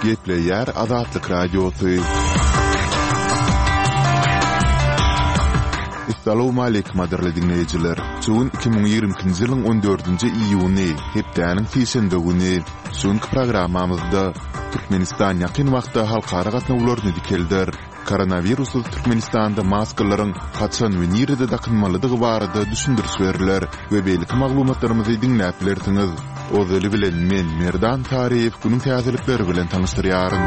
Gepleýär Azatlyk Radiosy. Essalawmaleýkim gadyrly diňleýjiler! Şu gün 2022-nji ýylyň on dördünji iýuny, hepdäniň sişenbe güni. Şu günki programmamyzda Türkmenistan ýakyn wagtda halkara gatnawlaryny dikelder. Koronawirussyz Türkmenistanda maskalaryň haçan we nirede dakynmalydygy barada düşündiriş berler we beýleki maglumatlarymyzy diňläp bilersiňiz. Ozaly bilen men, Merdan Taryýew günüň täzelikleri bilen tanyşdyrýaryn.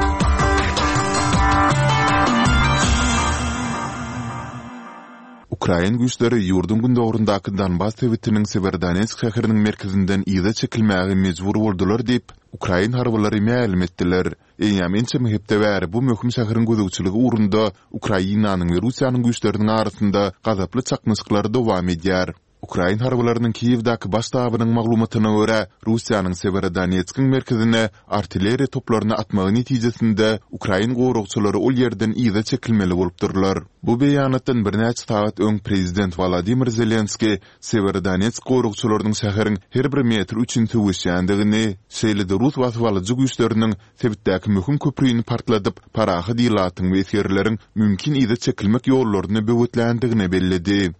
Ukrain güýçleri ýurduň gündogaryndaky Donbas sebitiniň Sewerodonetsk şäheriniň merkezinden yza çekilmäge mejbur boldular diýip, ukrain harbylary mälim etdiler. Eýýäm ençeme hepde bäri bu möhüm şäheriň gözegçiligi ugrunda Ukrainanyň we Russiýanyň güýçleriniň arasynda gazaply çaknyşyklar dowam edýär. Ukrain harbylarynyň Kiýewdäki baş ştabynyň maglumatyna görä, Russiýanyň Sewerodonetskiň merkezine artilleriýa toplaryny atmagy netijesinde ukrain goragçylary ol ýerden yza çekilmeli bolupdyrlar. Bu beýanatdan birnäçe sagat öň prezident Wolodymyr Zelenskiý Sewerodonetsk goragçylarynyň şäheriň her bir metri üçin söweşýändigini, şeýle-de rus basybalyjy güýçleriniň sebitdäki möhüm köprüni partladyp, parahat ilatyň we esgerleriň mümkin yza çekilmek ýollaryny böwetländigini belledi.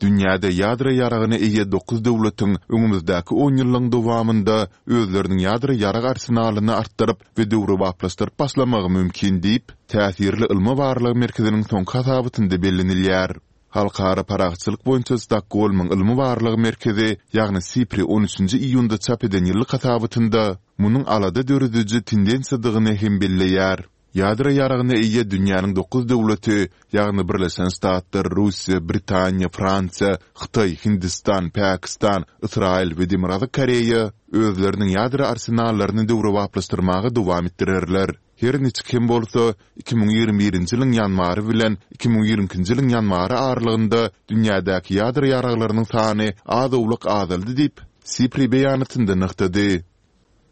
Dünýäde ýadro ýaragyna eýe dokuz döwletiň öňümizdäki onýyllygyň dowamynda özleriniň ýadro ýarag arsenalyny artdyryp we döwrebaplaşdyryp başlamagy mümkin diýip, täsirli ylmy-barlag merkeziniň soňky hasabatynda bellenilýär. Halkara parahatçylyk boýunça Stokgolmyň ylmy-barlag merkezi, ýagny SIPRI on üçünji iýunda çap eden ýyllyk hasabatynda munuň alada dörediji tendensiýadygyny hem belleýär. Ýadro ýaragyna eýe dünýäniň dokuz döwleti, ýagny Birleşen Ştatlar, Russiýa, Britaniýa, Fransiýa, Hytaý, Hindistan, Pakistan, Ysraýyl we Demirgazyk Koreýa özleriniň ýadro arsenallaryny döwrebaplaşdyrmaga dowam etdirerler. Her niçik hem bolsa, 2021-nji ýylyň ýanwary bilen 2022-nji ýylyň ýanwary aralygynda dünýädäki ýadro ýaraglarynyň sany az-owlak azaldy diýip, SIPRI beýanatynda nygtady.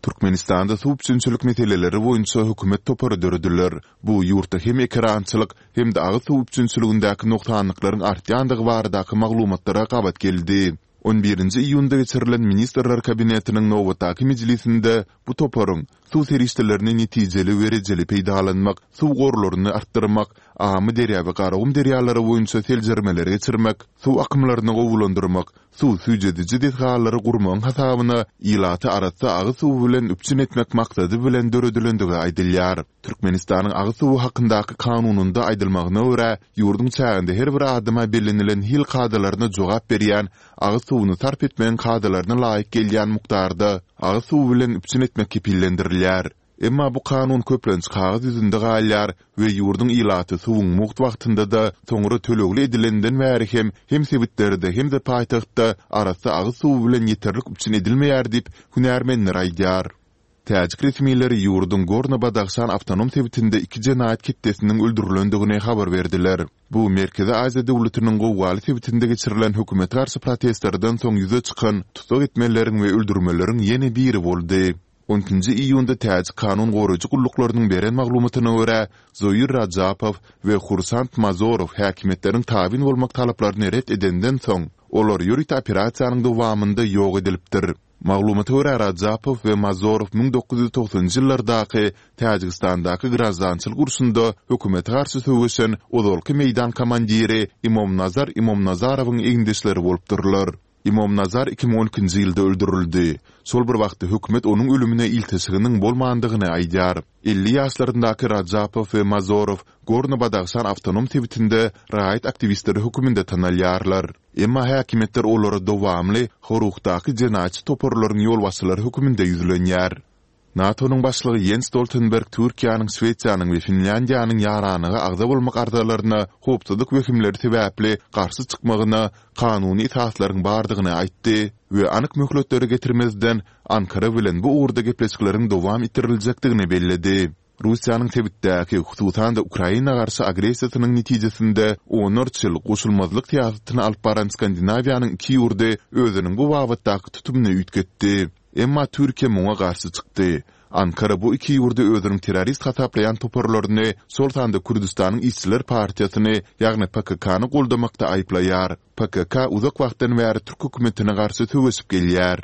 Türkmenistanda suw üpjünçilik meseleleri boýunça hökümet topary dörediler. Bu ýurtda hem ekerançylyk, hem-de agyz suw üpjünçiligindäki nogsanlyklaryň artýandygy baradaky maglumatlara gabat geldi. On birinji iýunda geçirilen Ministrler Kabinetiniň nobatdaky mejlisinde bu toparyň suw serişdelerini netijeli we rejeli peýdalanmak, suw gorlaryny artdyrmak, Amyderýa we Garagum derýalary boýunça seljermeleri geçirmek, suw akymlaryny gowulandyrmak, suw süýjediji desgalary gurmagyň hasabyna ilaty arassa agyz suwy bilen üpjün etmek maksady bilen döredilendigi aýdylýar. Türkmenistanyň Agyz suwy hakyndaky Kanunynda aýdylmagyna görä, ýurduň çäginde her bir adama bellenilen hil kadalaryna jogap berýän agyz suwuny sarp etmegiň kadalaryna laýyk gelýän mukdarda agyz suwy bilen üpjün etmek kepillendirilýär. Emma bu kanun köplenç kagyz ýüzünde galýar we ýurduň ilaty suwuň mugt wagtynda-da, soňra tölegli edilenden bäri hem hem sebitlerde, hem-de paýtagtda arassa agyz suwy bilen ýeterlik üpjün edilmeýär diýip, hünärmenler aýdýar. Täjik resmileri ýurduň Gorno-Badahşan awtonom sebitinde iki jenaýat ketdesiniň öldürilendigini habar berdiler. Bu Merkezi Aziýa döwletiniň gowgaly sebitinde geçirilen hökümete garşy protestlerden soň ýüze çykan tussag etmeleriň we öldürmeleriň ýene biri boldy. On ikinji iýunda täjik kanun goraýjy gulluklarynyň beren maglumatyna görä, Zoir Rajapow we Hursand Mazorow häkimiýetleriň tabyn bolmak talaplaryny ret edenden soň, olar ýörite operasiýanyň dowamynda ýok edilipdir. Maglumata görä, Rajapow we Mazorow 1990-njy ýyllardaky Täjigistandaky graždançylyk urşunda hökümete garşy söweşen ozalky meýdan komandiri Imomnazar Imomnazarowyň egindeşleri bolupdyrlar. Imomnazar 2012-nji ýylda öldürildi. Şol bir wagtda hökümet onuň ölümine ilteşiginiň bolmandygyny aýdýar. 50 ýaşlaryndaky Rajapow we Mazorow Gorno-Badahşan awtonom sebitinde raýat aktiwistleri höküminde tanalýarlar. Emma häkimiýetler olara dowamly Horuhdaky jenaýatçy toparlaryň ýolbaşçylary höküminde ýüzlenýär. NATO-nyň başlygy Ýens Stoltenberg Türkiýäniň, Şwesiýanyň we Finlýandiýanyň ýaranlyga agza bolmak arzalaryna howpsuzlyk wehimleri sebäpli garşy çykmagyna kanuny esaslaryň bardygyny aýtdy we anyk möhletleri getirmezden, Ankara bilen bu ugurda gepleşikleriň dowam etdiriljekdigini belledi. Russiýanyň sebitdäki, hususan-da Ukraina garşy agressiýasynyň netijesinde onlarça ýyl goşulmazlyk syýasatyny alyp baran Skandinawiýanyň iki ýurdy özüniň bu babatdaky tutumyny üýtgetdi. Emma Türkiýe muňa garşy çykdy. Ankara bu iki ýurdy özüniň terrorist hasaplaýan toparlaryny, şol sanda Kürdüstanyň işçiler partiýasyny, ýagny PKK-ny goldamakda aýyplaýar. PKK uzak wagtdan bäri türk hökümetine garşy söweşip gelýär.